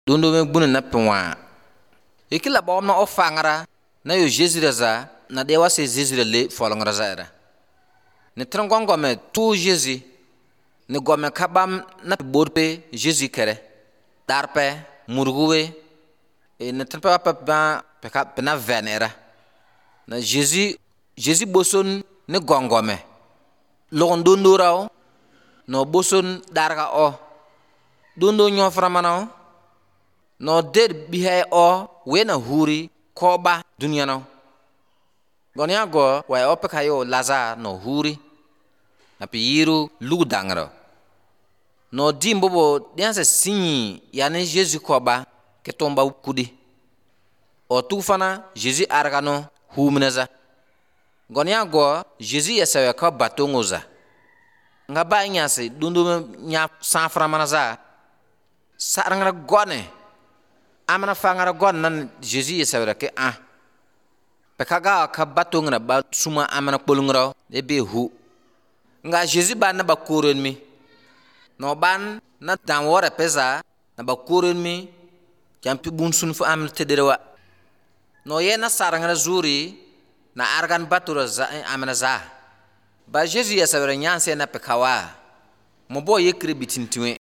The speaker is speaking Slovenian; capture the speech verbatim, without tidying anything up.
Dondo me gbuni na pinwa. Ikila bom na ofangara na yo Jésus za na dewa se Jésus le folongra za era. Ne trangongo me tu Jésus ne gome kabam na borpe Jésus kere. Darpe murguwe e ne tranpa pa pa pa na venera. Na Jésus Jésus boson ne gongome. Logon dondo rao no boson darga o. Dondo nyo framana no dead bihe o wena huri koba dunia no. Gonya go wa ope kayo laza no huri na piyiru lugu dangro. No dimbobo dianse sinyi yani Jésus koba ke tomba kudi. O tufana Jésus argano humneza. Gonya go Jésus yasawe ka batongoza. Nga ba nyase dundu nya safra manaza sarangara gone amana fangara gon nan Jésus yasawe ke ah pekaga ka batongra ba suma amana polungra e be hu nga Jésus ban na ba koren mi no ban na dan wora pesa na ba koren mi jampi bun sun fu am tederwa no yena sarangara zuri na argan batura za amana za ba Jésus yasawe nyanse na pekawa mo bo yekri bitintiwe